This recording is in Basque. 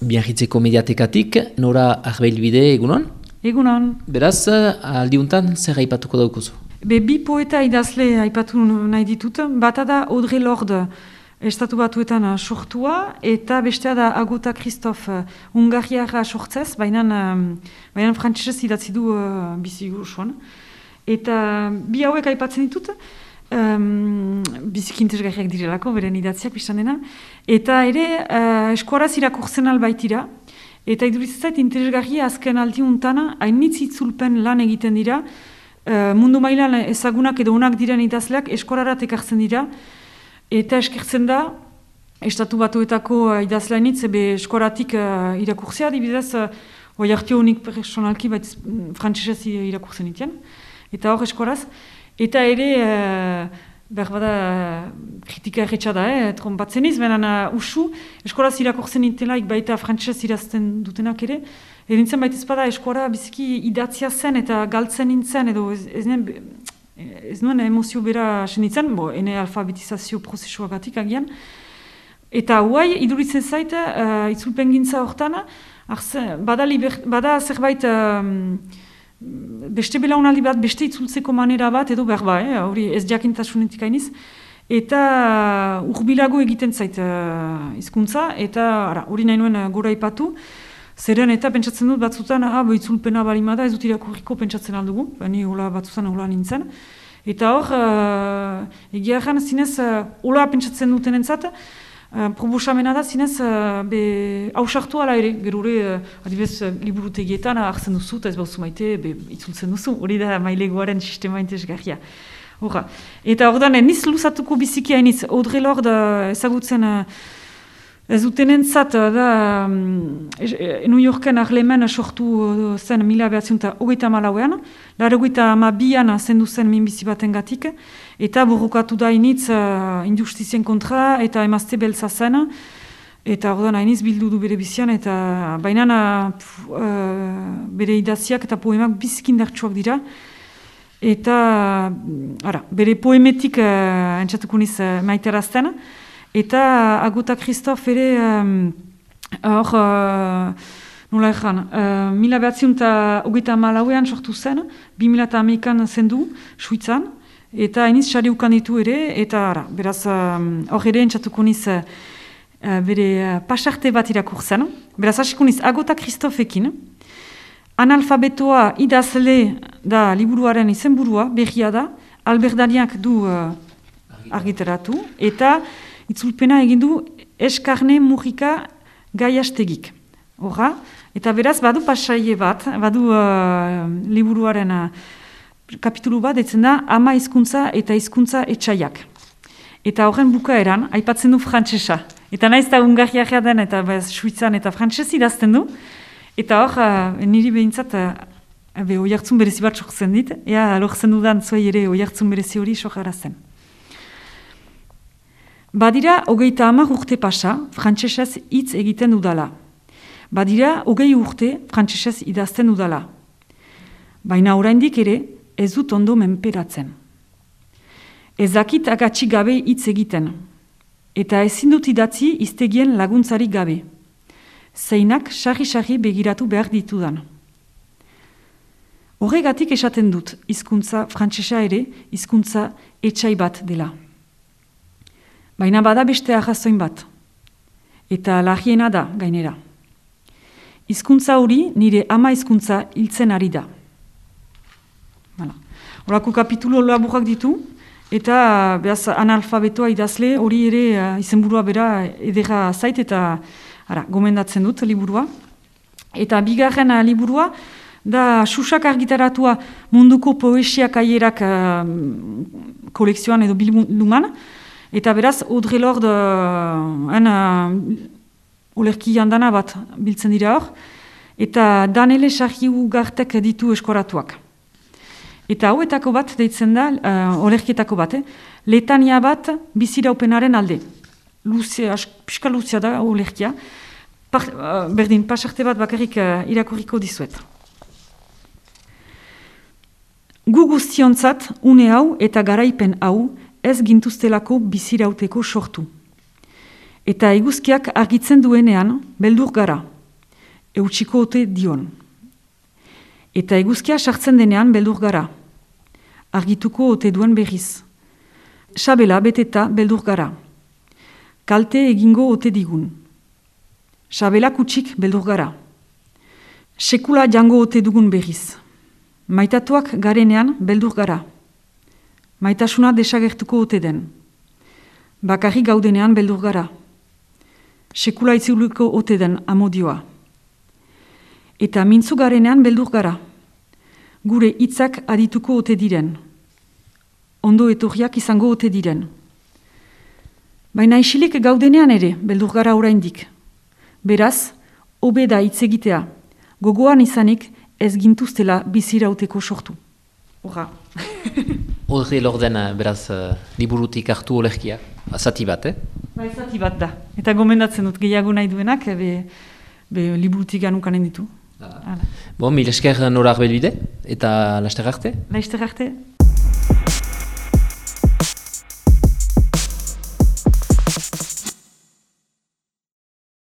Biarritzeko mediatekatik, Nora Arbeilbide, egunon? Egunon. Beraz, aldiuntan zer aipatuko daukuzu? Bi poeta idazle aipatu nahi ditut. Bata da Audre Lorde, Estatu Batuetan sortua, eta bestea da Agota Christophe, Hungariara sortzez, baina frantsesez idatzi du bizi osoan. Eta bi hauek aipatzen ditut, biziki interesgarriak direlako, beren idatziak biztan dena, eta ere eskuaraz irakurtzen albaitira, eta iduriz zait interesgarria azken aldiuntan, hainitz itzulpen lan egiten dira, mundu mailan ezagunak edo onak diren idazleak eskuararat ekartzen dira, eta eskertzen da, Estatu Batuetako idazlainitz, eskuaratik irakurtzea, adibidez, Oiartio honik personalki, frantsesez irakurtzen iten, eta hor eskuaraz. Eta ere, berbada, kritika erretxa da, trompatzen iz, benen usu, eskolaz irakurtzen intelaik baita frantsesez irazten dutenak ere, erintzen baita ezpada eskuara biziki idatzia zen eta galtzen nintzen, edo ez nuen emozio bera senitzen, ene alfabetizazio prozesuagatik agian. Eta huai, iduritzen zait, itzulpen gintza hortan, bada zerbait, beste belaunaldi bat, beste itzultzeko manera bat, edo berba, hori ez jakintasunetik hainiz, eta urbilago egiten zait hizkuntza, eta hori nahi nuen gora ipatu, zeren eta pentsatzen dut batzutan, itzulpena balimada, ez dut irakurriko pentsatzen aldugu, bani batzutan hola nintzen, eta hor, egia erran zinez, hola pentsatzen duten entzat, proposamena da, zinez, hausartu ala ere, gerure, adibidez, liburutegietan hartzen duzu, eta ez bauzu maite, itzultzen duzu, hori da mailegoaren sistema interesgarria. Eta hor da, niz luzatuko biziki hainiz, Audre Lorde ezagutzen ez dutenentzat da New Yorken Harlemen sortu zen 1934an, 1982an zendu zen minbizi batengatik, eta borrokatu da hainitz injustizien kontra eta emazte beltza zen, eta ordan hainitz bildu du bere bizian, eta baina bere idaziak eta poemak bizkindartsuak dira, eta bere poemetik entzatuko niz maiterazten, eta Agota Christophe ere hor, nola ezan, 1924an sortu zen, 2011an zendu, Suitzan, eta hainiz sari ukan ditu ere, eta beraz hor ere entzatuko niz bere pasarte bat irakurtzen. Beraz hasiko niz Agota Christophekin, analfabetoa idazle da liburuaren izenburua, berria da, Alberdaniak du argitaratu, eta itzulpena egin du Eskarne Mujika Gaiastegik. Horra, eta beraz badu pasaie bat, badu liburuaren kapitulu bat, etzen da Ama hizkuntza eta hizkuntza etsaiak. Eta horren bukaeran, aipatzen du frantsesa. Eta naiz da Hungariara den, eta Suitzan eta frantsesi idazten du. Eta hor, niri behintzat, oihartzun berezi bat sortzen dit, ea lortzen dudan zuei ere oihartzun berezi hori sokarazten. Badira, 30 urte pasa, frantsesez hitz egiten dudala. Badira, 20 urte, frantsesez idazten dudala. Baina oraindik ere, ez dut ondo menperatzen. Ez dakit agatsi gabe hitz egiten. Eta ezin dut idatzi hiztegien laguntzari gabe. Zeinak sarri-sarri begiratu behar ditudan. Horregatik esaten dut, hizkuntza frantsesa ere, hizkuntza etsai bat dela. Baina bada beste arrazoin bat. Eta larriena da, gainera. Hizkuntza hori nire ama hizkuntza hiltzen ari da. Horako kapitulu laburrak ditu, eta behaz analfabetoa idazle hori ere izenburua bera edera zait eta gomendatzen dut liburua. Eta bigarren liburua da Xuxak argitaratua munduko poesiak aierak kolekzioan edo bilduman, eta beraz, Audre Lorde olerki jandana bat biltzen dira hor, eta Danele Sarriugartek ditu eskoratuak. Eta hauetako bat deitzen da, olerkietako bat, letania bat biziraupenaren alde. Piska luzia da olerkia. Berdin, pasarte bat bakarrik irakurriko dizuet. Gu guztiontzat, une hau eta garaipen hau, ez gintuztelako bizirauteko sortu. Eta eguzkiak argitzen duenean, beldur gara. eutxiko ote dion. Eta eguzkia sartzen denean beldur gara. Argituko ote duen berriz. Sabela beteta beldur gara. Kalte egingo ote digun. Sabela kutsik beldur gara. Sekula jango ote dugun berriz. Maitatuak garenean beldur gara. Maitasuna desagertuko ote den. Bakarrik gaudenean beldur gara. Sekula itzuliko ote den amodioa. Eta mintzu garenean beldur gara. Gure hitzak adituko ote diren. Ondo etorriak izango ote diren. Baina isilik gaudenean ere beldur gara oraindik. Beraz, hobe da hitz egitea. Gogoan izanik ez gintuztela bizirauteko sortu. Horra. Horri lorden, beraz, liburutik hartu olerkia. Zati bat, Bai, zati bat da. Eta gomendatzen dut gehiago nahi duenak, liburutik anukanen ditu. Bon, mil esker Nora Arbelbide, eta laster arte? Laster arte.